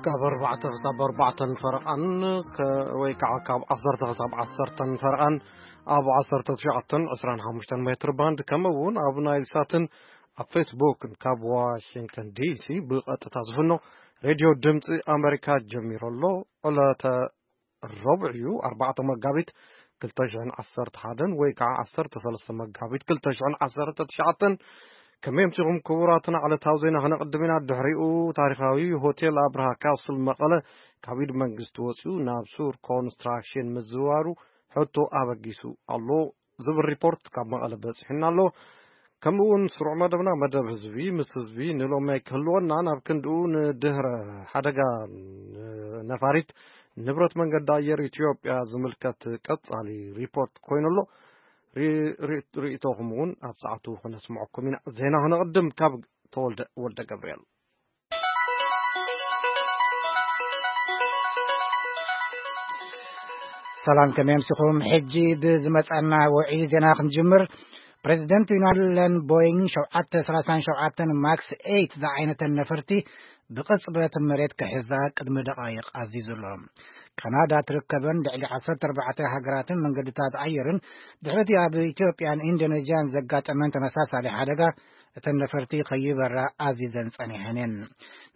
ካብ ኣርባዕተ ክሳብ ኣርባዕተን ፈረቓን ከ-፣ ወይ ከዓ ካብ ዓሰርተ ክሳብ ዓሰርተን ፈረቓን ኣብ ዓሰርተ ትሽዓተን ዕስራን ሓሙሽተን ሜትር ባንድ፣ ከምኡ እውን ኣብ ናይል ሳትን ኣብ ፌስቡክን ካብ ዋሽንግተን ዲሲ ብቐጥታ ዝፍኖ ሬድዮ ድምፂ ኣሜሪካ ጀሚሩ ኣሎ። ዕለተ ረቡዕ እዩ፣ ኣርባዕተ መጋቢት ክልተ ሽሕን ዓሰርተ ሓደን ወይ ከዓ ዓሰርተ ሰለስተ መጋቢት ክልተ ሽሕን ዓሰርተ ትሽዓተን። ከመይ ኣምሲኹም ክቡራትና? ዕለታዊ ዜና ክነቕድም ኢና። ድሕሪኡ ታሪኻዊ ሆቴል ኣብርሃ ካስል መቐለ ካብ ኢድ መንግስቲ ወፂኡ ናብ ሱር ኮንስትራክሽን ምዝዋሩ ሕቶ ኣበጊሱ ኣሎ ዝብል ሪፖርት ካብ መቐለ በፂሑና ኣሎ። ከምኡ እውን ስሩዕ መደብና፣ መደብ ህዝቢ ምስ ህዝቢ፣ ንሎሚ ኣይክህልወና፣ ናብ ክንድኡ ንድህረ ሓደጋ ነፋሪት ንብረት መንገዲ ኣየር ኢትዮጵያ ዝምልከት ቀጻሊ ሪፖርት ኮይኑ ኣሎ። ሪ-፣ ሪ-፣ ርእይቶኹም እውን ኣብ ሰዓቱ ክነስምዐኩም ኢና። ዜና ክነቕድም ካብ ተወልደ ወልደ ገብርኤል። ሰላም፣ ከመይ ኣምሲኹም? ሕጂ ብዝመጻና ውዒ ዜና ክንጅምር። ፕሬዚደንት ዩናይትድ ቦይንግ ሸውዓተ ሰላሳን ሸውዓተን ማክስ ኤይት ዝዓይነተን ነፈርቲ ብቕጽበት መሬት ክሕዛ ቅድሚ ደቓይቕ ኣዚዙ ኣሎ። ካናዳ ትርከበን ልዕሊ ዓሰርተ ኣርባዕተ ሃገራትን መንገድታት ኣየርን ድሕሪ እቲ ኣብ ኢትዮጵያን ኢንዶኔዥያን ዘጋጠመን ተመሳሳሊ ሓደጋ እተን ነፈርቲ ከይበራ ኣዚዘን ጸኒሐን እየን።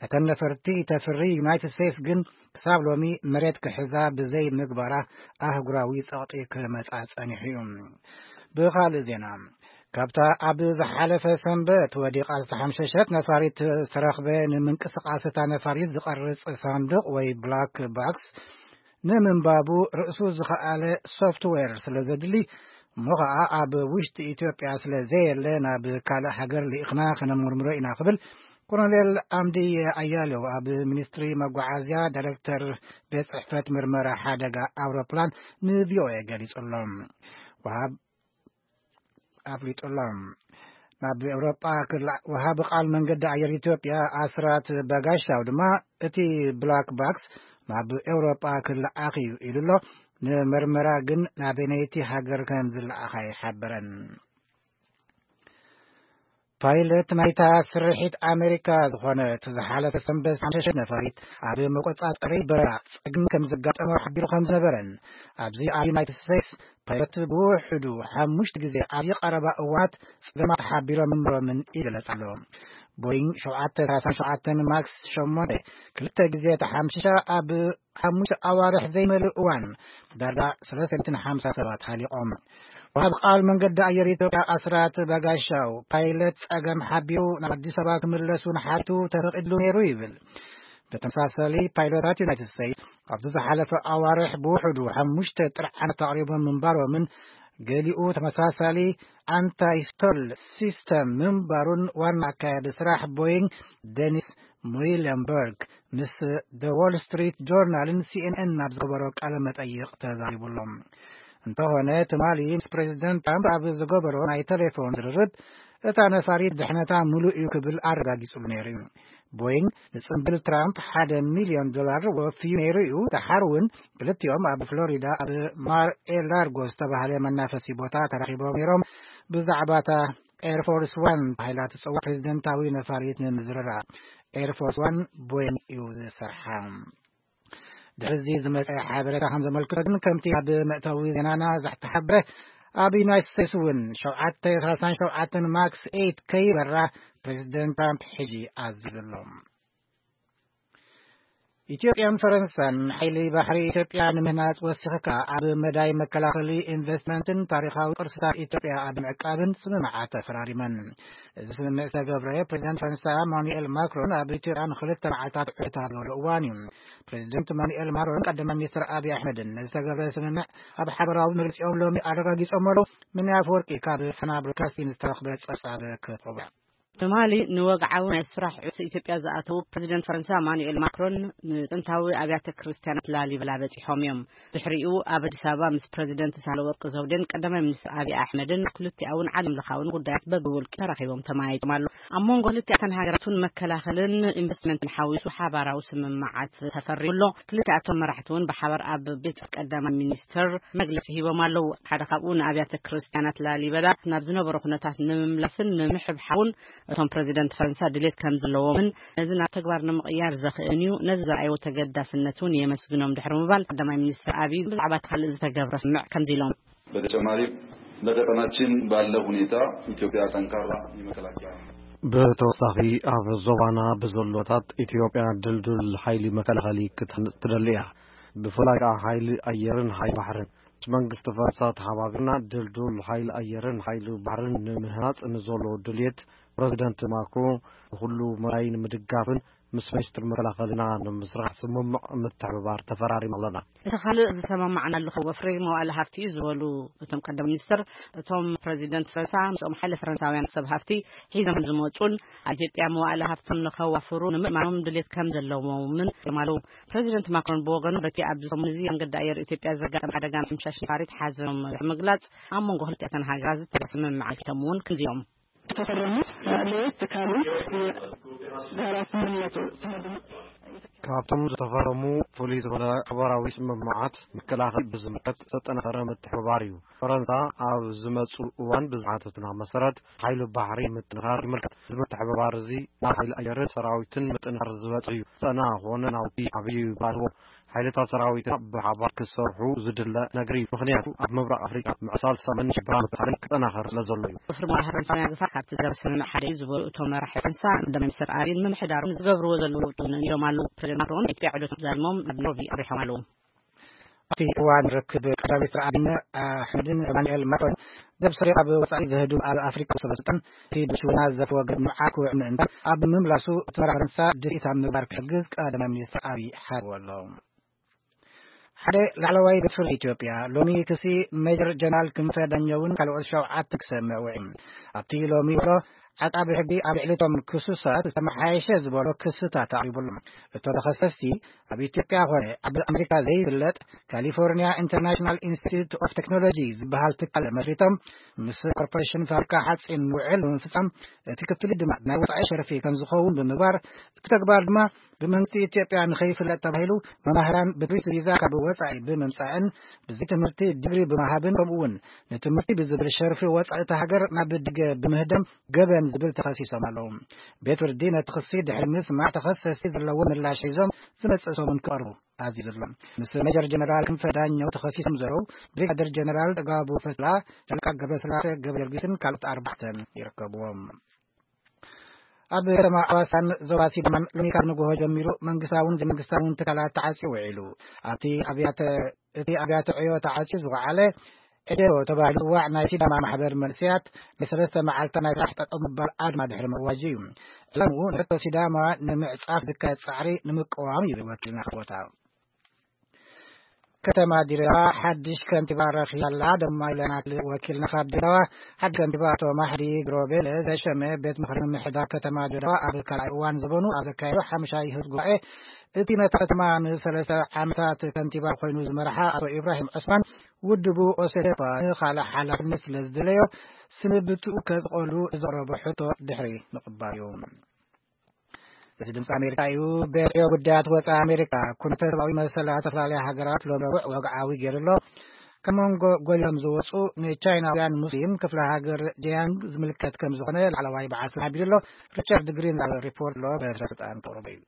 ነተን ነፈርቲ ተፍሪ ዩናይትድ ስቴትስ ግን ክሳብ ሎሚ መሬት ክሕዛ ብዘይ ምግባራ ኣህጉራዊ ጸቕጢ ክመጻ ጸኒሑ እዩ። ብኻልእ ዜና፣ ካብታ ኣብ ዝሓለፈ ሰንበት ወዲቓ ዝተሓምሸሸት ነፋሪት ዝተረኽበ ንምንቅስቓስ እታ ነፋሪት ዝቐርጽ ሳንዱቕ ወይ ብላክ ባክስ ንምንባቡ ርእሱ ዝኸኣለ ሶፍትዌር ስለ ዘድሊ፣ እሞ ኸኣ ኣብ ውሽጢ ኢትዮጵያ ስለ ዘየለ ናብ ካልእ ሃገር ልኢኽና ከነመርምሮ ኢና ክብል ኮሎኔል ኣምዲ ኣያሌው ኣብ ሚኒስትሪ መጓዓዝያ ዳይሬክተር ቤት ጽሕፈት ምርመራ ሓደጋ ኣውሮፕላን ንቪኦኤ ገሊጹ ኣሎ። ወሃብ-፣ ኣፍሊጡ ኣሎ። ናብ ኤውሮጳ ክላ-፣ ወሃቢ ቃል መንገዲ ኣየር ኢትዮጵያ ኣስራት በጋሻው ድማ እቲ ብላክ ባክስ ናብ ኤውሮጳ ክለኣኽ እዩ ኢሉ ኣሎ። ንምርመራ ግን ናበየነይቲ ሃገር ከም ዝለኣኽ ኣይሓበረን። ፓይለት ናይታ ስርሒት ኣሜሪካ ዝኾነት ዝሓለፈ ሰንበት ዝተሓምሸሸት ነፋሪት ኣብ መቆጻጸሪ በረራ ጸገም ከም ዘጋጠሞ ሓቢሩ ከም ዝነበረን፣ ኣብዚ ኣብ ዩናይትድ ስቴትስ ፓይለት ብውሕዱ ሓሙሽተ ግዜ ኣብ ቀረባ እዋናት ጸገማት ሓቢሮም ምንባሮምን ይግለጽ ኣሎ። ቦይንግ ሸውዓተ ሰላሳ ሸውዓተ ማክስ ሸሞንተ ክልተ ግዜ ተሓምሽሻ ኣብ ሓሙሽተ ኣዋርሕ ዘይመልእ እዋን ዳርጋ ሰለስተ ሚእትን ሓምሳ ሰባት ሃሊቖም። ወሃብ ቃል መንገዲ ኣየር ኢትዮጵያ ኣስራት በጋሻው፣ ፓይለት ጸገም ሓቢሩ ናብ ኣዲስ ኣበባ ክምለስ እውን ሓቱ ተፈቒድሉ ነይሩ ይብል። ብተመሳሳሊ፣ ፓይሎታት ዩናይትድ ስቴትስ ኣብዚ ዝሓለፈ ኣዋርሕ ብውሕዱ ሓሙሽተ ጥርዓናት ኣቕሪቦም ምንባሮምን ገሊኡ ተመሳሳሊ ኣንታይ ስቶል ሲስተም ምንባሩን ዋና ኣካያዲ ስራሕ ቦይንግ ደኒስ ሙይለንበርግ ምስ ደ ዎል ስትሪት ጆርናልን ሲኤንኤን ኣብ ዝገበሮ ቃለ መጠይቕ ተዛሪቡ ኣሎ። እንተኾነ፣ ትማሊ ምስ ፕሬዚደንት ትራምፕ ኣብ ዝገበሮ ናይ ቴሌፎን ዝርርብ፣ እታ ነፋሪት ድሕነታ ምሉእ እዩ ክብል ኣረጋጊጹሉ ነይሩ እዩ። ቦይንግ ንጽምብል ትራምፕ ሓደ ሚልዮን ዶላር ወፍዩ ነይሩ እዩ። ደሓር እውን ክልቲኦም ኣብ ፍሎሪዳ ኣብ ማር ኤ ላርጎ ዝተባህለ መናፈሲ ቦታ ተራኺቦም ነይሮም። ብዛዕባ እታ ኤርፎርስ ዋን ተባሂላ ትጽዋዕ ፕሬዚደንታዊ ነፋሪት ንምዝርራብ ኤርፎርስ ዋን ቦይንግ እዩ ዝሰርሓ። ድሕዚ ዝመጸ ሓበሬታ ከም ዘመልክቶ ግን፣ ከምቲ ኣብ መእተዊ ዜናና ዝተሓበረ፣ ኣብ ዩናይትድ ስቴትስ እውን ሸውዓተ ሰላሳን ሸውዓተን ማክስ ኤይት ከይበራ ፕሬዚደንት ትራምፕ ሕጂ ኣዚዙ ኣሎ። ኢትዮጵያን ፈረንሳን ሓይሊ ባሕሪ ኢትዮጵያ ንምህናጽ ወሲኽካ ኣብ መዳይ መከላኸሊ ኢንቨስትመንትን ታሪኻዊ ቅርስታት ኢትዮጵያ ኣብ ምዕቃብን ስምምዓት ተፈራሪመን። እዚ ስምምዕ ዝተገብረ ፕሬዚደንት ፈረንሳ ማኑኤል ማክሮን ኣብ ኢትዮጵያ ንክልተ መዓልታት ዕታ ዝበሉ እዋን እዩ። ፕሬዚደንት ማኑኤል ማክሮን ቀዳማይ ሚኒስትር ኣብይ ኣሕመድን ነዚ ዝተገብረ ስምምዕ ኣብ ሓበራዊ መግለጺኦም ሎሚ ኣረጋጊጾም ኣለዉ። ምንያ ኣፈወርቂ ካብ ፋና ብሮድካስቲንግ ዝተረኽበ ጸብጻብ ክትቕርቦ። ትማሊ ንወግዓዊ ናይ ስራሕ ዕጽ ኢትዮጵያ ዝኣተዉ ፕሬዚደንት ፈረንሳ ማኑኤል ማክሮን ንጥንታዊ ኣብያተ ክርስቲያናት ላሊበላ በጺሖም እዮም። ድሕሪኡ ኣብ ኣዲስ ኣበባ ምስ ፕሬዚደንት ሳህለወርቅ ዘውዴን ቀዳማይ ሚኒስትር ኣብይ ኣሕመድን ክልቲኣውን ዓለም ለኻውን ጉዳያት በብውልቂ ተራኺቦም ተመያይጦም ኣለዉ። ኣብ መንጎ ክልቲኣተን ሃገራት እውን መከላኸልን ኢንቨስትመንትን ሓዊሱ ሓባራዊ ስምምዓት ተፈሪሙ ኣሎ። ክልቲኣቶም መራሕቲ እውን ብሓባር ኣብ ቤት ቀዳማይ ሚኒስትር መግለጺ ሂቦም ኣለዉ። ሓደ ካብኡ ንኣብያተ ክርስቲያናት ላሊበላ ናብ ዝነበሮ ኩነታት ንምምላስን ንምሕብሓውን እቶም ፕረዚደንት ፈረንሳ ድሌት ከም ዘለዎምን ነዚ ናብ ተግባር ንምቕያር ዘኽእልን እዩ። ነዚ ዘርኣይዎ ተገዳስነት እውን የመስግኖም ድሕሪ ምባል፣ ቀዳማይ ሚኒስትር ኣብይ ብዛዕባ እቲ ካልእ ዝተገብረ ስምምዕ ከምዚ ኢሎም። በተጨማሪም በቀጠናችን ባለው ሁኔታ ኢትዮጵያ ጠንካራ የመከላከያ ብተወሳኺ ኣብ ዞባና ብዘሎታት ኢትዮጵያ ድልዱል ሓይሊ መከላኸሊ ክትህንጽ ትደሊ እያ። ብፍላይ ከዓ ሓይሊ ኣየርን ሓይሊ ባሕርን። ምስ መንግስቲ ፈረንሳ ተሓባቢርና ድልዱል ሓይሊ ኣየርን ሓይሊ ባሕርን ንምህናጽ ንዘሎ ድልየት ፕረዚደንት ማክሮን ንኹሉ መራይ ንምድጋፍን ምስ ሚኒስትር መከላኸልና ንምስራሕ ስምምዕ ምትሕብባር ተፈራሪም ኣለና። እቲ ካልእ ዝሰማማዕናሉ ወፍሪ መዋእለ ሃፍቲ እዩ ዝበሉ እቶም ቀዳማይ ሚኒስትር፣ እቶም ፕረዚደንት ፈረንሳ ምስኦም ሓይለ ፈረንሳውያን ሰብ ሃፍቲ ሒዞም ዝመፁን ኣብ ኢትዮጵያ መዋእለ ሃፍቶም ንኸዋፍሩ ንምእማኖም ድሌት ከም ዘለዎምን የማሉ። ፕረዚደንት ማክሮን ብወገኑ በቲ ኣብዚ ሰሙን እዚ መንገዲ ኣየር ኢትዮጵያ ዘጋጠመ ሓደጋ ምሕምሻሽ ነፋሪት ሓዘኖም ብምግላጽ ኣብ መንጎ ክልቲኣተን ሃገራት ዝተገ ስምምዕ ኣልኪቶም እውን ክንዚኦም። ተፈረሙ ለየት ካሉ የጋራ ስምምነቱ ካብቶም ዝተፈረሙ ፍሉይ ዝኾነ ሓበራዊ ስምምዓት መከላኸሊ ብዝምልከት ዘጠናኸረ ምትሕብባር እዩ። ፈረንሳ ኣብ ዝመፁ እዋን ብዝሓተትና መሰረት ሓይሊ ባሕሪ ምጥንኻር ይምልከት። እዚ ምትሕብባር እዚ ናብ ሓይሊ ኣየርን ሰራዊትን ምጥንኻር ዝበፅሕ እዩ። ሰና ኾነ ናውቲ ዓብዪ ባልዎ ሓይልታት ሰራዊትና ብሓባር ክሰርሑ ዝድለ ነገር እዩ። ምኽንያቱ ኣብ ምብራቕ ኣፍሪካ ምዕሳል ሰላምን ሽበራ ምክልኻልን ክጠናኸር ስለ ዘሎ እዩ። ወፍሪ መዋእለ ሃፍቲ ፈረንሳውያን ግፋ ካብቲ ዘረሰምምዕ ሓደ እዩ ዝበሉ እቶም መራሒ ፈረንሳ፣ ቀዳማይ ሚኒስትር ኣብይን ምምሕዳሩን ዝገብርዎ ዘለዉ ለውጢ እውን እዮም ኣለዉ። ፕረዚደንት ማክሮን ናይ ኢትዮጵያ ዕደቶም ዛዚሞም ናብ ኖርቪ ኣብሪሖም ኣለዉ። ኣብቲ እዋን ርክብ ቀዳማይ ሚኒስትር ኣብይን ኣሕመድን ኢማኑኤል ማክሮን ዘብሰሪ ኣብ ወፃኢ ዘህዱ ኣብ ኣፍሪካ ሰበ ስልጣን እቲ ብሽውና ዝተወገደ ምዕራብ ክውዕ ምእንታን ኣብ ምምላሱ እቲ መራሒ ፈረንሳ ድፍኢት ኣብ ምግባር ክሕግዝ ቀዳማይ ሚኒስትር ኣብይ ሓርዎ ኣሎ። ሓደ ላዕለዋይ ቤት ፍርዲ ኢትዮጵያ ሎሚ ክሲ ሜጀር ጀነራል ክንፈ ዳኘውን ካልኦት ሸውዓተ ክሰምዕ ውዒሉ። ኣብቲ ሎሚ ውዕሎ ዓቃቢ ሕጊ ኣብ ልዕሊ እቶም ክሱሳት ዝተመሓየሸ ዝበሎ ክስታት ኣቕሪቡ ኣሎ። እቶም ተኸሰስቲ ኣብ ኢትዮጵያ ኾነ ኣብ ኣሜሪካ ዘይፍለጥ ካሊፎርኒያ ኢንተርናሽናል ኢንስቲትዩት ኦፍ ቴክኖሎጂ ዝበሃል ትካል መስሪቶም ምስ ኮርፖሬሽን ፋብሪካ ሓፂን ውዕል ብምፍፃም እቲ ክፍሊት ድማ ናይ ወፃኢ ሸርፊ ከም ዝኸውን ብምግባር እቲ ተግባር ድማ ብመንግስቲ ኢትዮጵያ ንኸይፍለጥ ተባሂሉ መማህራን ብቱሪስት ቪዛ ካብ ወፃኢ ብምምፃእን ብዘይ ትምህርቲ ዲግሪ ብምሃብን ከምኡ እውን ንትምህርቲ ብዝብል ሸርፊ ወፃኢ እቲ ሃገር ናብ ደገ ብምህዳም ገበን ዝብል ተኸሲሶም ኣለዉ። ቤት ፍርዲ ነቲ ክሲ ድሕሪ ምስማዕ ተኸሰስቲ ዘለዎ ምላሽ ሒዞም ዝመፅእ ሰሙን ክቐርቡ ኣዚዙ ኣሎ። ምስ ሜጀር ጀነራል ክንፈ ዳኘው ተኸሲሶም ዘለዉ ብሪጋደር ጀነራል ጥጋቡ ፈትላ፣ ሻለቃ ገብረስላሴ ገብረ ጊዮርጊስን ካልኦት ኣርባዕተን ይርከብዎም። ኣብ ከተማ ኣዋሳን ዞባ ሲዳማን ሎሚ ካብ ንግሆ ጀሚሩ መንግስታውን ዘይመንግስታውን ትካላት ተዓጽዩ ውዒሉ። ኣብቲ ኣብያተ እቲ ኣብያተ ዕዮ ተዓጽዩ ዝወዓለ ኤዴሮ ተባሂሉ ዝዋዕ ናይ ሲዳማ ማሕበር መንእሰያት ናይ ሰለስተ መዓልታ ናይ ስራሕ ጠጠው ምባል ኣድማ ድሕሪ ምእዋጁ እዩ። ዕላምኡ ንሕቶ ሲዳማ ንምዕጻፍ ዝካየድ ጻዕሪ ንምቅዋም እዩ ወኪልና ካብ ቦታ። ከተማ ድሬዳዋ ሓድሽ ከንቲባ ረኺባ ኣላ። ደማ ኢለና ወኪልና ካብ ድሬዳዋ ሓድሽ ከንቲባ ኣቶ ማሕዲ ግሮቤለ ዘሸመ ቤት ምኽሪ ምምሕዳር ከተማ ድሬዳዋ ኣብ ካልኣይ እዋን ዘበኑ ኣብ ዘካየዶ ሓሙሻይ ህዝብ ጉባኤ እቲ ነታ ከተማ ንሰለስተ ዓመታት ከንቲባ ኮይኑ ዝመርሓ ኣቶ ኢብራሂም ዑስማን ውድቡ ኦሴዴፓ ንኻልእ ሓላፍነት ስለ ዝደለዮ ስንብትኡ ከዝቐሉ ዘቕረቦ ሕቶ ድሕሪ ምቕባል እዩ። እዚ ድምፂ ኣሜሪካ እዩ። ቤት ዕዮ ጉዳያት ወፃኢ ኣሜሪካ ኩነተ ሰብኣዊ መሰል ኣብ ዝተፈላለያ ሃገራት ሎም ረቡዕ ወግዓዊ ገይሩ ኣሎ። ካብ መንጎ ጎሊሆም ዝወፁ ንቻይናውያን ሙስሊም ክፍለ ሃገር ዲያንግ ዝምልከት ከም ዝኾነ ላዕለዋይ በዓል ስልጣን ሓቢሩ ኣሎ። ሪቻርድ ግሪን ዝሃበ ሪፖርት ኣሎ በትረ ስልጣን ክቕርቦ እዩ።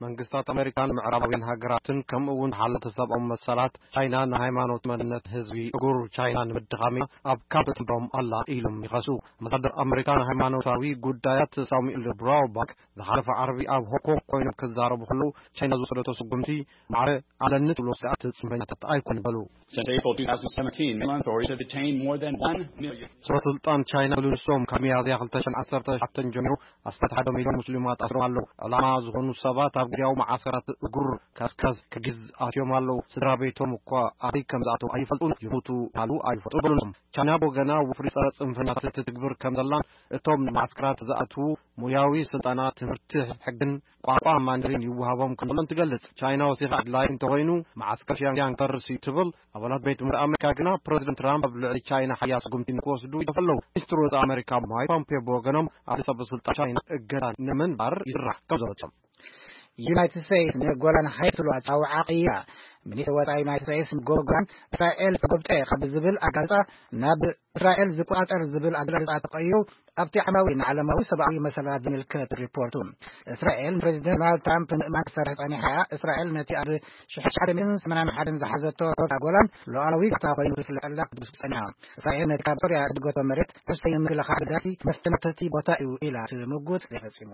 መንግስታት ኣሜሪካን ምዕራባውያን ሃገራትን ከምኡ እውን ሓለፍቲ ሰብኣዊ መሰላት ቻይና ንሃይማኖት መንነት ህዝቢ እጉር ቻይና ንምድኻም ኣብ ካብ ተጥምሮም ኣላ ኢሎም ይኸሱ። ኣምባሳደር ኣሜሪካ ንሃይማኖታዊ ጉዳያት ሳሙኤል ብራውባክ ዝሓለፈ ዓርቢ ኣብ ሆንግ ኮንግ ኮይኖም ክዛረቡ ከለዉ ቻይና ዝወሰደቶ ስጉምቲ ማዕረ ኣለኒ ትብሎ ስግኣት ጽንፈኛታት ኣይኮን በሉ። Since April two thousand seventeen, Myanmar authorities have detained more than one million. ሰበ ስልጣን ቻይና ብልሶም ካብ ሚያዝያ ክልተ ሽሕን ዓሰርተ ሸውዓተን ጀሚሩ ኣስታት ሓደ ሚልዮን ሙስሊማት ኣስሮም ኣለዉ። ዕላማ ዝኾኑ ሰባት ኣብ ግዜያዊ መዓስከራት እጉር ካስካዝ ክጊዝ ኣትዮም ኣለዉ። ስድራ ቤቶም እኳ ኣበይ ከም ዝኣተዉ ኣይፈልጡን፣ ይሞቱ ይሃሉ ኣይፈልጡ በሉሎም። ቻይና ብወገና ወፍሪ ጸረ ጽንፈኛታት ትትግብር ከም ዘላን እቶም ንመዓስከራት ዝኣትዉ ሞያዊ ስልጠና ትምህርቲ ሕግን ቋንቋ ማንደሪን ይወሃቦም ከም ዘሎን ትገልጽ። ቻይና ወሲኻ ኣድላይ እንተኾይኑ መዓስከር ፒዮንግያንግ ክፈርስ እዩ ትብል። ኣባላት ቤት ምኽሪ ኣሜሪካ ግና ፕረዚደንት ትራምፕ ኣብ ልዕሊ ቻይና ሓያል ስጉምቲ ንክወስዱ ይደፍኡ ኣለዉ። ሚኒስትር ወጻኢ ኣሜሪካ ማይክ ፖምፔዮ ብወገኖም ኣብ ሰበ ስልጣን ቻይና እገዳ ንምንባር ይስራሕ ከም ዘሎ ገሊጾም። ዩናይትድ ስቴትስ ንጎላን ሃይትስ ትብሎ ኣጻውዓ ቀይራ። ሚኒስትር ወጻኢ ዩናይትድ ስቴትስ ንጎላን እስራኤል ዝተጎብጠ ካብ ዝብል ኣጋልጻ ናብ እስራኤል ዝቆጻጸር ዝብል ኣገላልጻ ተቐይሩ ኣብቲ ዓማዊ ንዓለማዊ ሰብኣዊ መሰላት ዝምልከት ሪፖርቱ። እስራኤል ንፕሬዚደንት ዶናልድ ትራምፕ ምእማን ክሰርሕ ጸኒሓ እያ። እስራኤል ነቲ ኣብ ሽሕን ትሽዓተ ሚእትን ሰማንያን ሓደን ዝሓዘቶ ጎላን ሉዓላዊ ግዝኣታ ኮይኑ ዝፍለጠላ ክትብስኩ ጸኒሓ። እስራኤል ነቲ ካብ ሶርያ እትድገቶ መሬት ነብሰይ ንምክልኻል ኣገዳሲ መስተንክርቲ ቦታ እዩ ኢላ ትምጉት። ዘይፈጺሙ።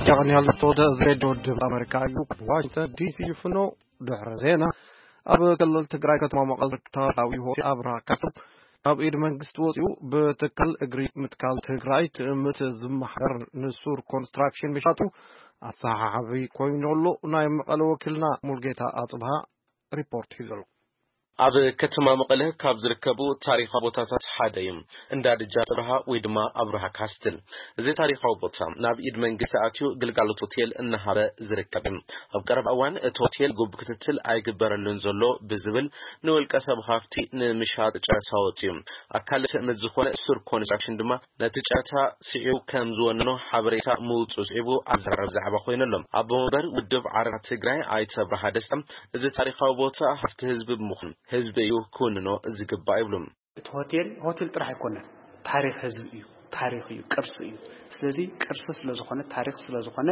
ጃቕኒ ያለቶ ወደ ሬድዮ ድምፂ ኣሜሪካ እዩ። ዋሽንግተን ዲሲ ይፍኖ። ድሕሪ ዜና ኣብ ክልል ትግራይ ከተማ መቐለ ዝርከብ ታሪኻዊ ሆቴል ኣብርሃ ካስትል ካብ ኢድ መንግስቲ ወፂኡ ብትካል እግሪ ምትካል ትግራይ ትእምት ዝመሓደር ንሱር ኮንስትራክሽን ምሻጡ ኣሰሓሓቢ ኮይኑ ኣሎ። ናይ መቐለ ወኪልና ሙልጌታ ኣፅብሃ ሪፖርት ሒዙ ኣሎ። ኣብ ከተማ መቐለ ካብ ዝርከቡ ታሪኻዊ ቦታታት ሓደ እዩ እንዳ ደጃዝማች ኣብርሃ ወይ ድማ ኣብርሃ ካስትል። እዚ ታሪኻዊ ቦታ ናብ ኢድ መንግስቲ ኣትዩ ግልጋሎት ሆቴል እናሃበ ዝርከብ እዩ። ኣብ ቀረባ እዋን እቲ ሆቴል ግቡእ ክትትል ኣይግበረሉን ዘሎ ብዝብል ንውልቀ ሰብ ሃፍቲ ንምሻጥ ጨረታ ወፂኡ። ኣካል ትእምት ዝኾነ ሱር ኮንስትራክሽን ድማ ነቲ ጨረታ ስዒቡ ከም ዝወነኖ ሓበሬታ ምውፁ ስዒቡ ኣዘራረብ ዛዕባ ኮይኑ ኣሎ። ኣቦ ወንበር ውድብ ዓረና ትግራይ ኣይተ ኣብርሃ ደስታ፣ እዚ ታሪኻዊ ቦታ ሃፍቲ ህዝቢ ብምዃኑ ህዝቢ እዩ ክውንኖ ዝግባእ ይብሉ። እቲ ሆቴል ሆቴል ጥራሕ ኣይኮነን፣ ታሪኽ ህዝቢ እዩ። ታሪኽ እዩ፣ ቅርሲ እዩ። ስለዚ ቅርሲ ስለዝኾነ፣ ታሪኽ ስለዝኾነ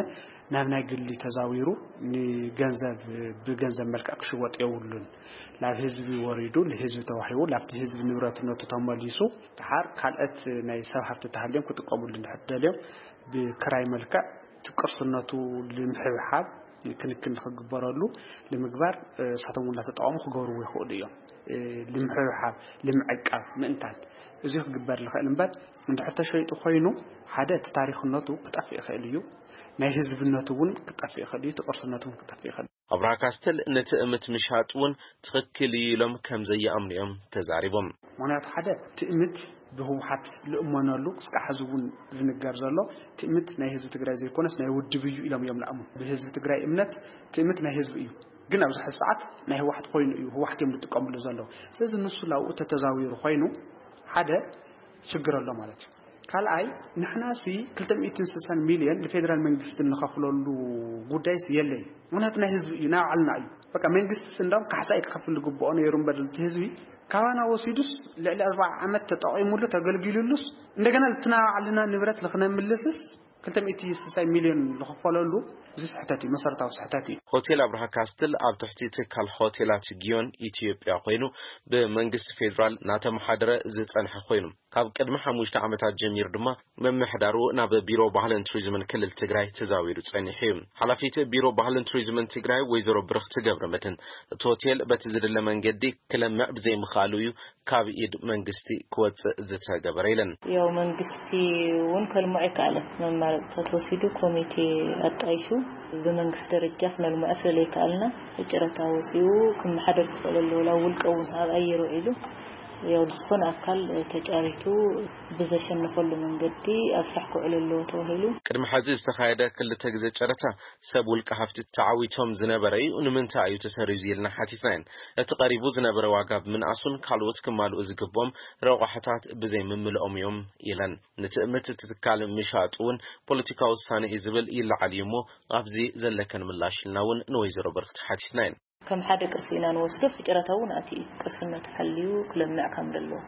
ናብ ናይ ግሊ ተዛዊሩ ንገንዘብ፣ ብገንዘብ መልክዕ ክሽወጥ የብሉን። ናብ ህዝቢ ወሪዱ፣ ንህዝቢ ተዋሂቡ፣ ናብቲ ህዝቢ ንብረትነቱ ተመሊሱ፣ ድሓር ካልኦት ናይ ሰብ ሃፍቲ ተሃልዮም ክጥቀምሉ እንድሕር ደልዮም ብክራይ መልክዕ እቲ ቅርስነቱ ንምሕብሓብ ክንክን ንክግበረሉ ንምግባር፣ እ፣ እሳቶም እውን እናተጠቐሙ ክገብርዎ ይኽእሉ እዮም። እ፣ ንምሕብሓብ፣ ንምዕቃብ፣ ምእንታን እዚ ክግበር ዝኽእል እምበር፣ እንድሕር ተሸይጡ ኮይኑ፣ ሓደ እቲ ታሪኽነቱ ክጠፍእ ይኽእል እዩ። ናይ ህዝብነቱ እውን ክጠፍእ ይኽእል እዩ። እቲ ቅርስነቱ እውን ክጠፍእ ይኽእል እዩ። ኣብርሃ ካስትል ንትእምት ምሻጥ እውን ትኽክል እዩ ኢሎም ከም ዘይኣምኑ እዮም ተዛሪቦም። ምኽንያቱ ሓደ ትእምት ብህወሓት ልእመነሉ ክስካዕ ሕዚ እውን ዝንገር ዘሎ ትእምት ናይ ህዝቢ ትግራይ ዘይኮነስ ናይ ውድብ እዩ ኢሎም እዮም ልኣምኑ። ብህዝቢ ትግራይ እምነት ትእምት ናይ ህዝቢ እዩ፣ ግን ኣብዚ ሕዚ ሰዓት ናይ ህወሓት ኮይኑ እዩ፣ ህወሓት እዮም ዝጥቀምሉ ዘለዉ። ስለዚ ንሱ ላብኡ ተተዛዊሩ ኮይኑ ሓደ ሽግር ኣሎ ማለት እዩ። ካልኣይ ንሕና ሲ ክልተ ሚእትን ስሳን ሚልዮን ንፌደራል መንግስቲ እንኸፍለሉ ጉዳይስ የለይ። ምኽንያቱ ናይ ህዝቢ እዩ፣ ናይ ባዕልና እዩ። በቃ መንግስቲ ሲ እንዳውም ካሕሳ እዩ ክኸፍል ዝግብኦ ነይሩ እምበር እቲ ህዝቢ ካባና ወሲዱስ ልዕሊ ኣርባዓ ዓመት ተጠቒሙሉ ተገልጊሉሉስ እንደገና እቲ ናይ ባዕልና ንብረት ንክነምልስስ ክልተ ሚእቲ ስሳይ ሚልዮን ዝኽፈለሉ እዚ ስሕተት እዩ፣ መሰረታዊ ስሕተት እዩ። ሆቴል ኣብርሃ ካስትል ኣብ ትሕቲ ትካል ሆቴላት ጊዮን ኢትዮጵያ ኮይኑ ብመንግስቲ ፌዴራል እናተመሓደረ ዝጸንሐ ኮይኑ ካብ ቅድሚ ሓሙሽተ ዓመታት ጀሚሩ ድማ ምምሕዳሩ ናብ ቢሮ ባህልን ቱሪዝምን ክልል ትግራይ ተዛዊሩ ጸኒሑ እዩ። ሓላፊት ቢሮ ባህልን ቱሪዝምን ትግራይ ወይዘሮ ብርኽቲ ገብረመድህን እቲ ሆቴል በቲ ዝድለ መንገዲ ክለምዕ ብዘይምኽኣሉ እዩ ካብ ኢድ መንግስቲ ክወፅእ ዝተገበረ ኢለን። ያው መንግስቲ እውን ከልምዖ ኣይከኣለን። መማረፅታት ወሲዱ ኮሚቴ ኣጣይሹ ብመንግስቲ ደረጃ ክነልምዖ ስለለይከኣልና ጨረታ ወፂኡ ክመሓደር ክኽእል ኣለዎ። ላብ ውልቀ እውን ኣብ ኣየር ውዒሉ ያው ዝኾነ ኣካል ተጫሪቱ ብዘሸነፈሉ መንገዲ ኣብ ስራሕ ክውዕል ኣለዎ ተባሂሉ። ቅድሚ ሕዚ ዝተኻየደ ክልተ ግዜ ጨረታ ሰብ ውልቀ ሃፍቲ ተዓዊቶም ዝነበረ እዩ። ንምንታይ እዩ ተሰሪዙ ኢልና ሓቲትና ኢና። እቲ ቀሪቡ ዝነበረ ዋጋ ብምንኣሱን ካልኦት ክማልኡ ዝግብኦም ረቋሕታት ብዘይምምልኦም እዮም ኢለን። ንትእምት እቲ ትካል ምሻጡ እውን ፖለቲካዊ ውሳነ እዩ ዝብል ይለዓል እዩ እሞ ኣብዚ ዘለከን ምላሽ ኢልና እውን ንወይዘሮ ብርኽቲ ሓቲትና ኢና። ከም ሓደ ቅርሲ ኢና ንወስዶ፣ ኣብቲ ጨረታ እውን ኣትዩ እዩ። ቅርስነቱ ሓልዩ ክለምዕ ከም ዘለዎ።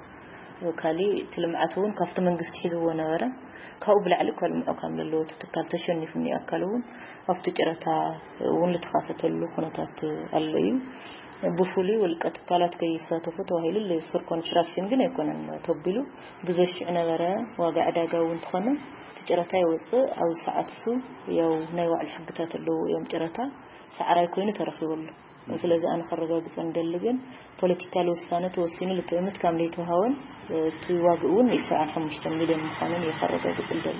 ካሊእ እቲ ልምዓት እውን ካብቲ መንግስቲ ሒዝዎ ነበረ፣ ካብኡ ብላዕሊ ከልምዖ ከም ዘለዎ እቲ ትካል ተሸኒፉ እኒኦ ኣካል እውን ኣብቲ ጨረታ እውን ዝተኻፈተሉ ኩነታት ኣሎ እዩ። ብፍሉይ ውልቀ ትካላት ከይሳተፉ ተባሂሉ ሱር ኮንስትራክሽን ግን ኣይኮነን ተቢሉ ብዘሽዑ ነበረ። ዋጋ ዕዳጋ እውን እንተኾነ እቲ ጨረታ ይወፅእ። ኣብዚ ሰዓት እሱ ያው ናይ ባዕሉ ሕግታት ኣለዉ እዮም። ጨረታ ሰዓራይ ኮይኑ ተረኺቡ ኣሎ። ስለዚ ኣነ ከረጋግፀ ንደሊ ግን ፖለቲካል ውሳነ ተወሲኑ ልትእምት ከም ዘይተዋሃበን እቲ ዋግኡ እውን ሚእቲ ሰብዓን ሓሙሽተን ሚልዮን ምዃኑን እየ ከረጋግፅ ንደሊ።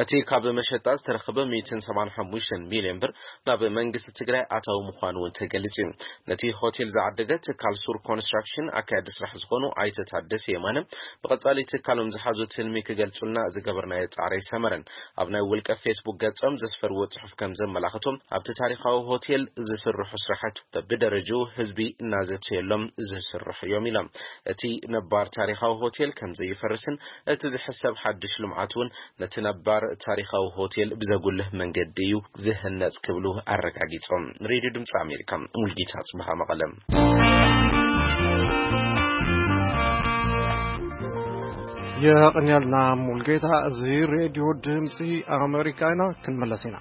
እቲ ካብ መሸጣ ዝተረኸበ ሚእትን ሰብዓን ሓሙሽተን ሚልዮን ብር ናብ መንግስቲ ትግራይ ኣታዊ ምዃኑ እውን ተገሊጹ እዩ። ነቲ ሆቴል ዝዓደገ ትካል ሱር ኮንስትራክሽን ኣካያዲ ስራሕ ዝኾኑ ኣይተ ታደሰ የማነ፣ ብቐጻሊ ትካሎም ዝሓዙ ትልሚ ክገልጹልና ዝገበርናዮ ጻዕሪ ኣይሰመረን። ኣብ ናይ ውልቀ ፌስቡክ ገጾም ዘስፈርዎ ጽሑፍ ከም ዘመላኽቶ፣ ኣብቲ ታሪኻዊ ሆቴል ዝስርሑ ስራሕቲ በብደረጅኡ ህዝቢ እናዘተየሎም ዝስርሑ እዮም ኢሎም። እቲ ነባር ታሪኻዊ ሆቴል ከም ዘይፈርስን እቲ ዝሕሰብ ሓድሽ ልምዓት እውን ነቲ ነባር ታሪኻዊ ሆቴል ብዘጉልህ መንገዲ እዩ ዝህነጽ ክብሉ ኣረጋጊጾም። ሬድዮ ድምፂ ኣሜሪካ፣ ሙልጌታ ጽብሃ መቐለ። የቐንያልና ሙልጌታ። እዚ ሬድዮ ድምፂ ኣሜሪካ ኢና። ክንመለስ ኢና።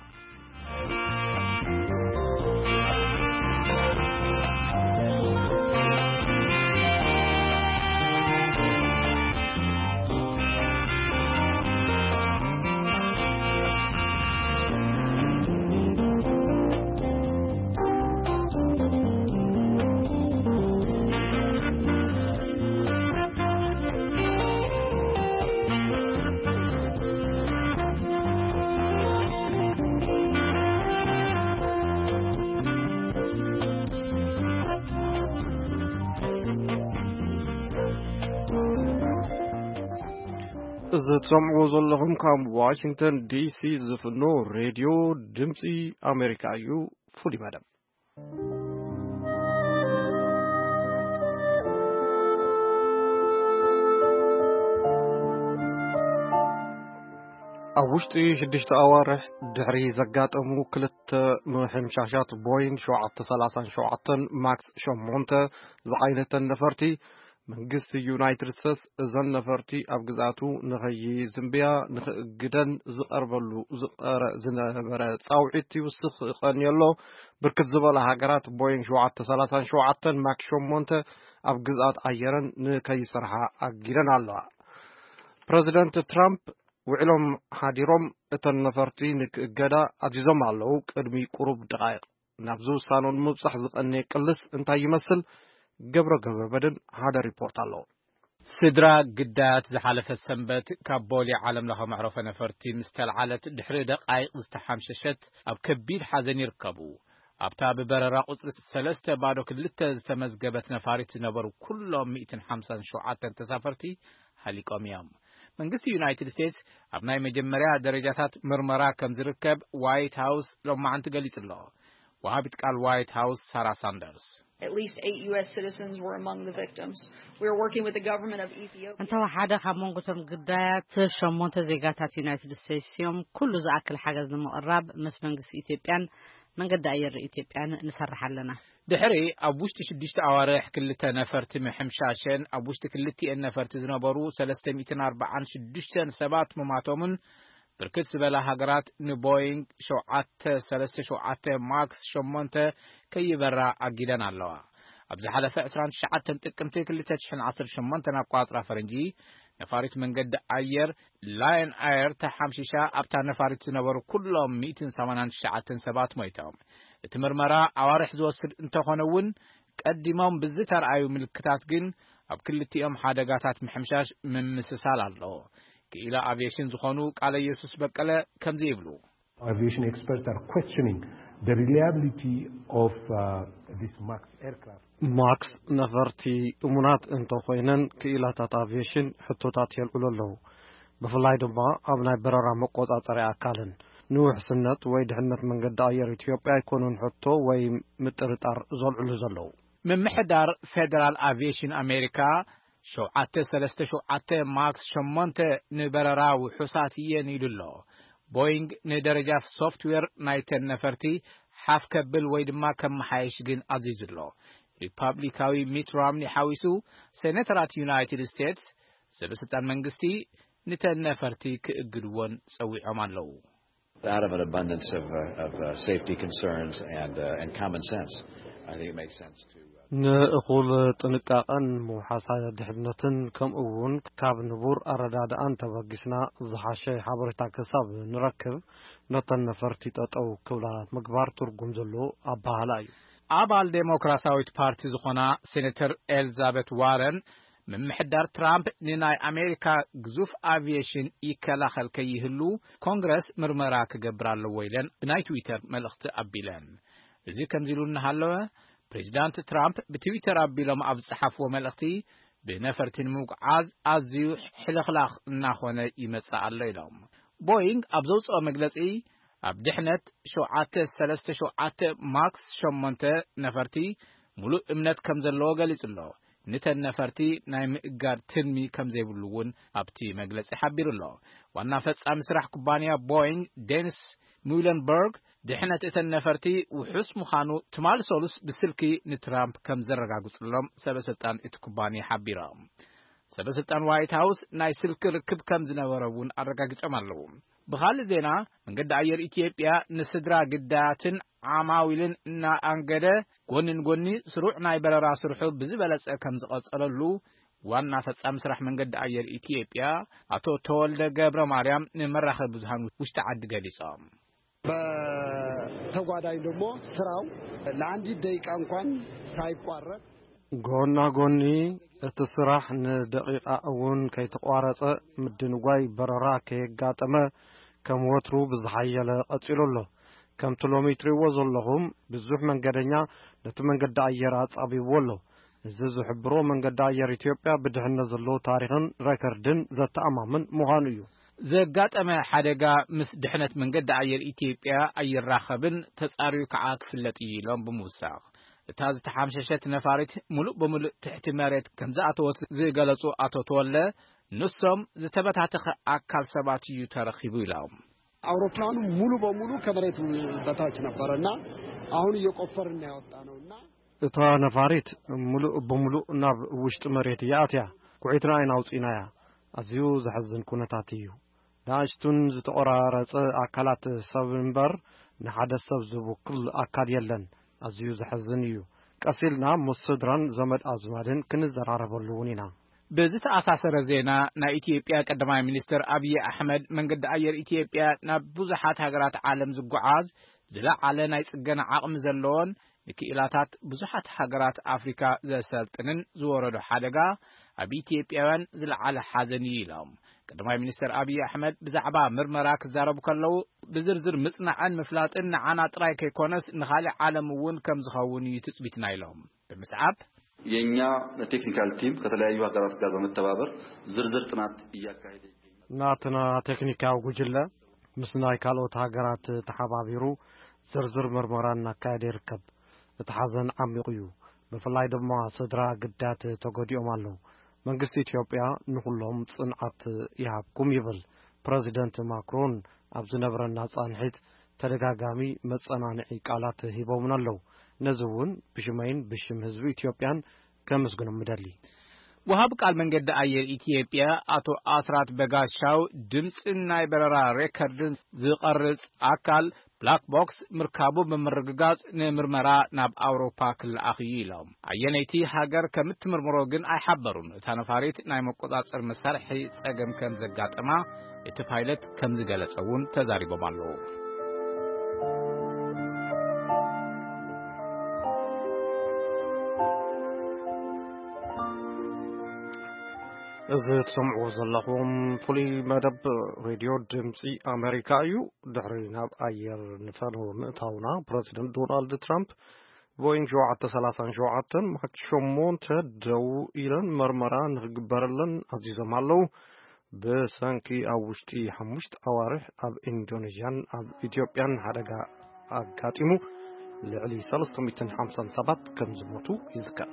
እዚ ትሰምዕዎ ዘለኹም ካብ ዋሽንግተን ዲሲ ዝፍኖ ሬድዮ ድምፂ ኣሜሪካ እዩ። ፍሉይ መደብ። ኣብ ውሽጢ ሽዱሽተ ኣዋርሕ ድሕሪ ዘጋጠሙ ክልተ ምሕምሻሻት ቦይንግ ሸውዓተ ሰላሳን ሸውዓተን ማክስ ሸሞንተ ዝዓይነተን ነፈርቲ፣ መንግስቲ ዩናይትድ ስቴትስ እዘን ነፈርቲ ኣብ ግዝኣቱ ንኸይዝንብያ ንኽእግደን ዝቐርበሉ ዝቐረ-፣ ዝነበረ ጻውዒት ይውስኽ ቀንዩ ኣሎ። ብርክት ዝበላ ሃገራት ቦይንግ ሸውዓተ ሰላሳን ሸውዓተን ማክስ ሸሞንተ ኣብ ግዝኣት ኣየረን ንከይሰርሓ ኣጊደን ኣለዋ። ፕረዚደንት ትራምፕ ውዕሎም ሓዲሮም እተን ነፈርቲ ንክእገዳ ኣዚዞም ኣለዉ። ቅድሚ ቁሩብ ደቓይቕ ናብዚ ውሳነ ንምብጻሕ ዝቐነየ ቅልስ እንታይ ይመስል? ገብረ ገብረ መድህን ሓደ ሪፖርት ኣለዎ። ስድራ ግዳያት ዝሓለፈ ሰንበት ካብ ቦሌ ዓለም ለኸ መዕረፎ ነፈርቲ ምስ ተልዓለት ድሕሪ ደቓይቕ ዝተሓምሸሸት ኣብ ከቢድ ሓዘን ይርከቡ። ኣብታ ብበረራ ቁጽሪ ሰለስተ ባዶ ክልተ ዝተመዝገበት ነፋሪት ዝነበሩ ኩሎም ሚእትን ሓምሳን ሸውዓተን ተሳፈርቲ ሃሊቆም እዮም። መንግስቲ ዩናይትድ ስቴትስ ኣብ ናይ መጀመርያ ደረጃታት ምርመራ ከም ዝርከብ ዋይት ሃውስ ሎማዓንቲ ገሊጹ ኣሎ። ወሃቢት ቃል ዋይት ሃውስ ሳራ ሳንደርስ። At least eight U S citizens were among the victims. We are working with the government of Ethiopia. እንተወሓደ ካብ መንጎ እቶም ግዳያት ሸሞንተ ዜጋታት ዩናይትድ ስቴትስ እዮም። ኩሉ ዝኣክል ሓገዝ ንምቕራብ ምስ መንግስቲ ኢትዮጵያን መንገዲ ኣየር ኢትዮጵያን ንሰርሕ ኣለና። ድሕሪ ኣብ ውሽጢ ሽዱሽተ ኣዋርሕ ክልተ ነፈርቲ ምሕምሻሸን ኣብ ውሽጢ ክልቲኤን ነፈርቲ ዝነበሩ ሰለስተ ሚእትን ኣርባዓን ሽዱሽተን ሰባት ምማቶምን ብርክት ዝበላ ሃገራት ንቦይንግ ሸውዓተ ሰለስተ ሸውዓተ ማክስ ሸሞንተ ከይበራ ኣጊደን ኣለዋ። ኣብ ዝሓለፈ ዕስራን ትሽዓተን ጥቅምቲ ክልተ ሽሕን ዓሰርተ ሸሞንተን ኣቋጽራ ፈረንጂ፣ ነፋሪት መንገዲ ኣየር ላየን ኣየር ተሓምሺሻ ኣብታ ነፋሪት ዝነበሩ ኩሎም ሚእትን ሰማንያን ትሽዓተን ሰባት ሞይቶም። እቲ ምርመራ ኣዋርሕ ዝወስድ እንተኾነ እውን፣ ቀዲሞም ብዝተርኣዩ ምልክታት ግን ኣብ ክልቲኦም ሓደጋታት ምሕምሻሽ ምምስሳል ኣሎ። ክኢላ ኣቪዬሽን ዝኾኑ ቃለ ኢየሱስ በቀለ ከምዚ ይብሉ። Aviation experts are questioning the reliability of, uh, this Max aircraft. ማክስ ነፈርቲ እሙናት እንተኾይነን፣ ክኢላታት ኣቪዬሽን ሕቶታት የልዕሉ ኣለዉ። ብፍላይ ድማ ኣብ ናይ በረራ መቆጻጸሪ ኣካልን ንውሕስነት ወይ ድሕነት መንገዲ ኣየር ኢትዮጵያ ኣይኮኑን ሕቶ ወይ ምጥርጣር ዘልዕሉ ዘለዉ። ምምሕዳር ፌደራል ኣቪዬሽን ኣሜሪካ፣ ሸውዓተ ሰለስተ ሸውዓተ ማክስ ሸሞንተ ንበረራ ውሑሳት እየን ኢሉ ኣሎ። ቦይንግ ንደረጃ ሶፍትዌር ናይተን ነፈርቲ ሓፍ ከብል ወይ ድማ ከመሓየሽ ግን ኣዚዙ ኣሎ። ሪፓብሊካዊ ሚት ሮምኒ ሓዊሱ፣ ሴኔተራት ዩናይትድ ስቴትስ፣ ሰበስልጣን መንግስቲ ንተን ነፈርቲ ክእግድወን ጸዊዖም ኣለዉ። Out of an abundance of, uh, of, uh, safety concerns and, uh, and common sense, I think it makes sense to, uh, ንእኹል ጥንቃቐን ምውሓሳ ድሕነትን፣ ከምኡ እውን ካብ ንቡር ኣረዳድኣን ተበጊስና ዝሓሸ ሓበሬታ ክሳብ ንረክብ፣ ነተን ነፈርቲ ጠጠው ክብላ ምግባር ትርጉም ዘለዎ ኣበሃህላ እዩ። ኣባል ዴሞክራሲያዊት ፓርቲ ዝኾና ሴኔተር ኤልዛቤት ዋረን፣ ምምሕዳር ትራምፕ ንናይ ኣሜሪካ ግዙፍ ኣቪዬሽን ይከላኸል ከይህሉ ኮንግረስ ምርመራ ክገብር ኣለዎ ኢለን ብናይ ትዊተር መልእኽቲ ኣቢለን። እዚ ከምዚ ኢሉ እናሃለወ፣ ፕሬዚዳንት ትራምፕ ብትዊተር ኣቢሎም ኣብ ዝጸሓፍዎ መልእኽቲ፣ ብነፈርቲ ንምጉዓዝ ኣዝዩ ሕልኽላኽ እናኾነ ይመጽእ ኣሎ ኢሎም። ቦይንግ ኣብ ዘውጽኦ መግለጺ፣ ኣብ ድሕነት ሸውዓተ ሰለስተ ሸውዓተ ማክስ ሸሞንተ ነፈርቲ ሙሉእ እምነት ከም ዘለዎ ገሊጹ ኣሎ። ንተን ነፈርቲ ናይ ምእጋድ ትልሚ ከም ዘይብሉ እውን ኣብቲ መግለጺ ሓቢሩ ኣሎ። ዋና ፈጻሚ ስራሕ ኩባንያ ቦይንግ ዴኒስ ሙለንበርግ፣ ድሕነት እተን ነፈርቲ ውሑስ ምዃኑ ትማሊ ሰሉስ ብስልኪ ንትራምፕ ከም ዘረጋግጹሎም ሰበ ስልጣን እቲ ኩባንያ ሓቢሮም። ሰበ ስልጣን ዋይት ሃውስ ናይ ስልኪ ርክብ ከም ዝነበሮ እውን ኣረጋጊጾም ኣለዉ። ብኻልእ ዜና፣ መንገዲ ኣየር ኢትዮጵያ ንስድራ ግዳያትን ዓማዊልን እናኣንገደ፣ ጎኒ ንጎኒ ስሩዕ ናይ በረራ ስርሑ ብዝበለጸ ከም ዝቐጸለሉ ዋና ፈጻሚ ስራሕ መንገዲ ኣየር ኢትዮጵያ ኣቶ ተወልደ ገብረ ማርያም ንመራኸቢ ብዙሃን ውሽጢ ዓዲ ገሊጾም። በተጓዳኝ ደግሞ ስራው ለአንዲት ደቂቃ እንኳን ሳይቋረጥ ጎና ጎኒ እቲ ስራሕ ንደቂቓ እውን ከይተቋረጸ፣ ምድንጓይ በረራ ከየጋጠመ፣ ከም ወትሩ ብዝሓየለ ቀጺሉ ኣሎ። ከምቲ ሎሚ ትርእይዎ ዘለኹም፣ ብዙሕ መንገደኛ ነቲ መንገዲ ኣየር ኣጻቢብዎ ኣሎ። እዚ ዝሕብሮ፣ መንገዲ ኣየር ኢትዮጵያ ብድሕነት ዘለዎ ታሪኽን ሬከርድን ዘተኣማምን ምዃኑ እዩ። ዘጋጠመ ሓደጋ ምስ ድሕነት መንገዲ ኣየር ኢትዮጵያ ኣይራኸብን፣ ተጻርዩ ከዓ ክፍለጥ እዩ ኢሎም ብምውሳኽ፣ እታ ዝተሓምሸሸት ነፋሪት ሙሉእ ብምሉእ ትሕቲ መሬት ከም ዝኣተወት ዝገለጹ ኣቶ ተወለ፣ ንሶም ዝተበታተኸ ኣካል ሰባት እዩ ተረኺቡ ኢሎም። አውሮፕላኑ ሙሉ በሙሉ ከመሬት በታች ነበረ እና አሁን እየቆፈርን ያወጣ ነው እና እታ ነፋሪት ሙሉእ ብምሉእ ናብ ውሽጢ መሬት እያ ኣትያ። ኩዒትና ኢና ኣውፂእናያ። ኣዝዩ ዘሕዝን ኩነታት እዩ። ንኣሽቱን ዝተቆራረጸ ኣካላት ሰብ እምበር ንሓደ ሰብ ዝውክል ኣካል የለን። ኣዝዩ ዘሕዝን እዩ። ቀስ ኢልና ምስ ስድራን ዘመድ ኣዝማድን ክንዘራረበሉ እውን ኢና። ብዝተኣሳሰረ ዜና፣ ናይ ኢትዮጵያ ቀዳማይ ሚኒስትር ኣብይ ኣሕመድ መንገዲ ኣየር ኢትዮጵያ ናብ ብዙሓት ሃገራት ዓለም ዝጓዓዝ ዝለዓለ ናይ ጽገና ዓቕሚ ዘለዎን ንክኢላታት ብዙሓት ሃገራት ኣፍሪካ ዘሰልጥንን ዝወረዶ ሓደጋ ኣብ ኢትዮጵያውያን ዝለዓለ ሓዘን እዩ ኢሎም። ቀዳማይ ሚኒስትር ኣብይ ኣሕመድ ብዛዕባ ምርመራ ክዛረቡ ከለዉ፣ ብዝርዝር ምጽናዕን ምፍላጥን ንዓና ጥራይ ከይኮነስ ንኻልእ ዓለም እውን ከም ዝኸውን እዩ ትጽቢትና ኢሎም። ብምስዓብ የኛ ቴክኒካል ቲም ከተለያዩ ሀገራት ጋር በመተባበር ዝርዝር ጥናት እያካሄደ ይገኛል። ናትና ቴክኒካዊ ጉጅለ ምስ ናይ ካልኦት ሃገራት ተሓባቢሩ ዝርዝር ምርመራ እናካየደ ይርከብ። እቲ ሓዘን ዓሚቑ እዩ። ብፍላይ ድማ ስድራ ግዳያት ተጎዲኦም ኣለዉ። መንግስቲ ኢትዮጵያ ንኹሎም ጽንዓት ይሃብኩም ይብል። ፕረዚደንት ማክሮን ኣብ ዝነበረና ጻንሒት ተደጋጋሚ መጸናንዒ ቃላት ሂቦምና ኣለዉ። ነዚ እውን ብሽመይን ብሽም ህዝቢ ኢትዮጵያን ከመስግኖም ምደሊ። ወሃብ ቃል መንገዲ ኣየር ኢትዮጵያ ኣቶ ኣስራት በጋሻው ድምፂ ናይ በረራ ሬከርድን ዝቐርጽ ኣካል ብላክ ቦክስ ምርካቡ ብምርግጋጽ ንምርመራ ናብ ኣውሮፓ ክለኣኽ እዩ ኢሎም። ኣየነይቲ ሃገር ከም እትምርምሮ ግን ኣይሓበሩን። እታ ነፋሪት ናይ መቆጻጸር መሳርሒ ጸገም ከም ዘጋጠማ እቲ ፓይለት ከም ዝገለጸ እውን ተዛሪቦም ኣለዉ። እዚ ትሰምዕዎ ዘለኹም ፍሉይ መደብ ሬድዮ ድምፂ ኣሜሪካ እዩ። ድሕሪ ናብ ኣየር ንፈነው ምእታውና፣ ፕረዚደንት ዶናልድ ትራምፕ ቦይንግ ሸውዓተ ሰላሳን ሸውዓተን ማክስ ሸሞንተ ደው ኢለን መርመራ ንክግበረለን ኣዚዞም ኣለዉ። ብሰንኪ ኣብ ውሽጢ ሓሙሽተ ኣዋርሕ ኣብ ኢንዶኔዥያን ኣብ ኢትዮጵያን ሓደጋ ኣጋጢሙ ልዕሊ ሰለስተ ሚእትን ሓምሳን ሰባት ከም ዝሞቱ ይዝከር።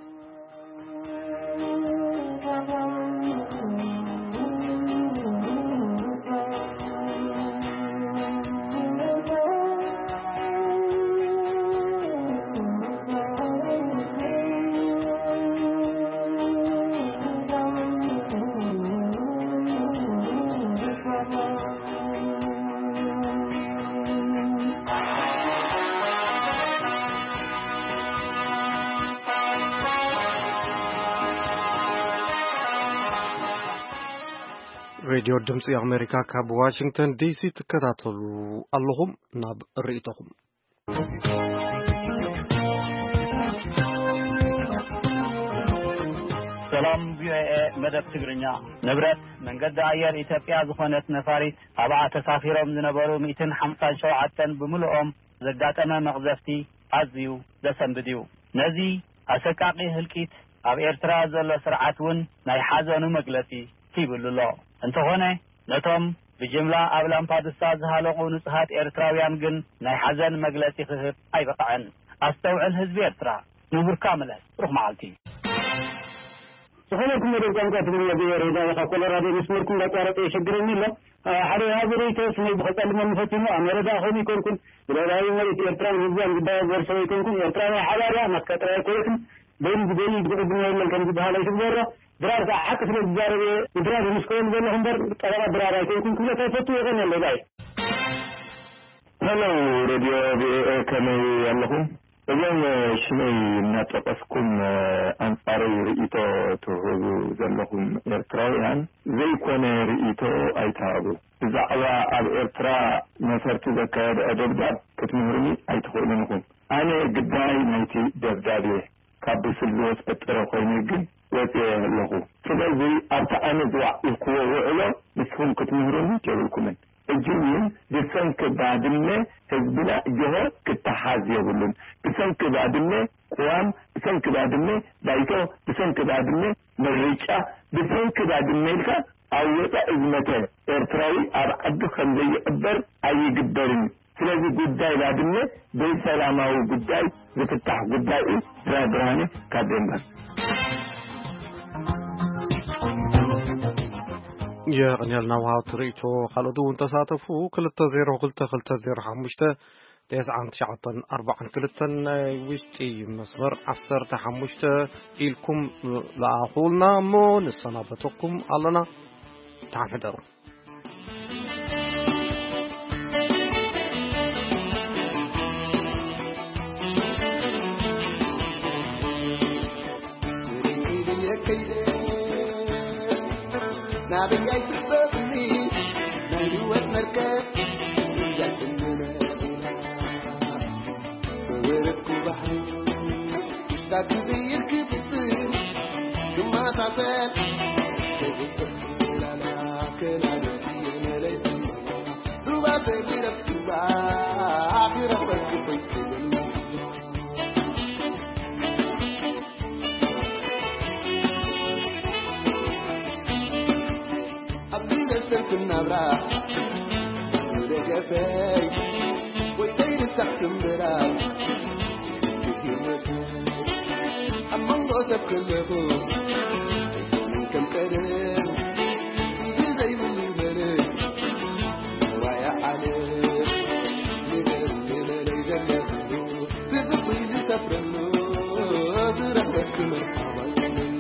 ሬድዮ ድምፂ ኣሜሪካ ካብ ዋሽንግተን ዲሲ ትከታተሉ ኣለኹም። ናብ ርእይቶኹም። ሰላም ቪኦኤ መደብ ትግርኛ። ንብረት መንገዲ ኣየር ኢትዮጵያ ዝኾነት ነፋሪት፣ ኣብኣ ተሳፊሮም ዝነበሩ ሚእትን ሓምሳን ሸውዓተን ብምልኦም ዘጋጠመ መቕዘፍቲ ኣዝዩ ዘሰንብድ እዩ። ነዚ ኣሰቃቂ ህልቂት ኣብ ኤርትራ ዘሎ ስርዓት እውን ናይ ሓዘኑ መግለጺ ሂብሉ ኣሎ። እንተኾነ፣ ነቶም ብጅምላ ኣብ ላምፓዱሳ ዝሃለቑ ንጹሃት ኤርትራውያን ግን ናይ ሓዘን መግለጺ ክህብ ኣይበቕዐን። ኣስተውዕል ህዝቢ ኤርትራ፣ ንቡርካ ምለስ። ሩኽ መዓልቲ። ዝኸበርኩም መደብ ቋንቋ ትግርኛ ቪኦኤ ሬድዮ ካብ ኮሎራዶ መስመርኩም እንዳቋረጠ የሸግረኒ ኣሎ። ሓደ ወሃቢ ርእይቶ ስመይ ብኸጸልመኒ ፈቲኑ፣ ኣነ ረዳእ ከም ይኮንኩን ብልዕላዊ መሬት ኤርትራን ህዝባን ዝዳወብ ወርሰ ኣይኮንኩን። ኤርትራዊ ሓባርያ ናትካ ጥራይ ኣይኮነትን። በይኑ ዝደሊ ዝቕድሞ የለን ከም ዝበሃል ኣይትግበሮ። ድራር ከዓ ሓቂ ስለ ዝዛረብ እየ ንድራር ዝምስክረሉ ዘለኹ እምበር ጠበቓ ድራር ኣይኮንኩን ክብለካ ይፈቱ። የቐንየለይ ባይ። ሄሎ ሬድዮ ቪኦኤ፣ ከመይ ኣለኹም? እዞም ሽመይ እናጠቀስኩም ኣንጻረይ ርእይቶ ትህቡ ዘለኹም ኤርትራውያን ዘይኮነ ርእይቶ ኣይትሃቡ። ብዛዕባ ኣብ ኤርትራ ነፈርቲ ዘካየድኦ ደብዳብ ክትምህሩኒ ኣይትኽእሉን ኢኹም። ኣነ ግዳይ ናይቲ ደብዳብ እየ። ካብ ብስል ዝወጸ ጥረ ኮይነ ግን ወጺኤ ኣለኹ። ስለዚ ኣብቲ ኣነ ዝወዓልክዎ ውዕሎ ንስኹም ክትምህሩኒ የብልኩምን። ሕጂ እውን ብሰንኪ ባድመ ህዝብና ጆሆ ክተሓዝ የብሉን። ብሰንኪ ባድመ ቅዋም፣ ብሰንኪ ባድመ ባይቶ፣ ብሰንኪ ባድመ ምርጫ፣ ብሰንኪ ባድመ ኢልካ ኣብ ወጻኢ ዝመተ ኤርትራዊ ኣብ ዓዱ ከም ዘይቕበር ኣይግበርን። ስለዚ ጉዳይ ባድመ ብሰላማዊ ጉዳይ ዝፍታሕ ጉዳይ እዩ። ብርሃነ ካብ ዴንማርክ። የቕንየልና ውሃብቲ ርእይቶ። ካልኦት እውን ተሳተፉ። ክልተ ዜሮ ክልተ ክልተ ዜሮ ሓሙሽተ ተስዓን ትሽዓተን ኣርባዓን ክልተን ናይ ውሽጢ መስመር ዓሰርተ ሓሙሽተ ኢልኩም ለኣኹልና እሞ ንሰናበተኩም ኣለና። ደሓን ሕደሩ። ናበይ ኣይትሕበርኒ ናይ ህይወት መርከብ እያ ትምነና ወረድኩ ባሕሪ ታክብይር ክብጥር ክማሳሰል ተብጥር ላላ ከናለቲ መለይ ሩባ ተቢረብ ሩባ ክረበል ክኮይ ትብል ኣብዚ ዘስተንክን ናብራ ዝደገፈይ ወይ ዘይርሳዕ ክምብራ ክትህይወት ኣብ መንጎ ሰብ ከለኹ ከም ቀደም ስግር ዘይብሉ ይበለ ዋያ ዓለም ንገር ንበለይ ዘለኹ ዝብቑ ዝሰፍረሉ ዝረኽበክ መርሓባ ይበለሉ።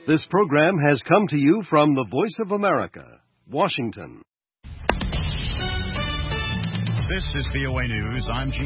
This program has come to you from the Voice of America, Washington. This is V O A News. I'm Gene